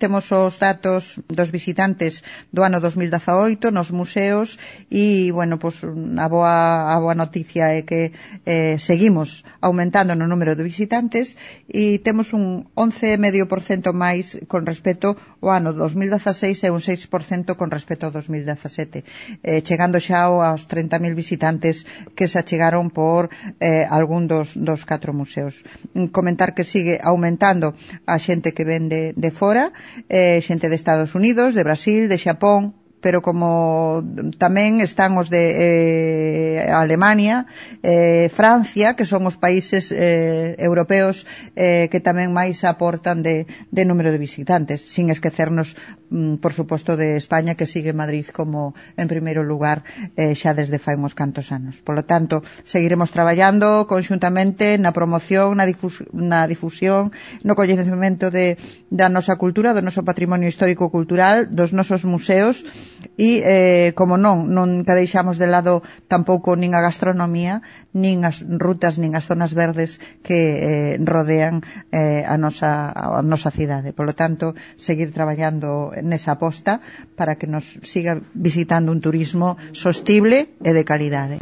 temos os datos dos visitantes do ano 2018 nos museos e, bueno, pois a boa noticia é que seguimos aumentando no número de visitantes e temos un 11,5% máis con respecto ao ano 2016 e un 6% con respecto ao 2017, chegando xa aos 30.000 visitantes que se achegaron por algún dos 4 museos. Comentar que sigue aumentando a xente que ven de fora, xente de Estados Unidos, de Brasil, de Xapón, pero como tamén están os de Alemania, Francia, que son os países europeos que tamén máis aportan de número de visitantes, sin esquecernos, por suposto, de España, que sigue Madrid como en primeiro lugar xa desde fai uns cantos anos. Por lo tanto, seguiremos traballando conxuntamente na promoción, na difusión, no coñecemento da nosa cultura, do noso patrimonio histórico-cultural, dos nosos museos, e, como nunca deixamos de lado tampouco nin a gastronomía, nin as rutas, nin as zonas verdes que rodean a nosa cidade. Por lo tanto, seguir traballando nesa aposta para que nos siga visitando un turismo sostible e de calidade.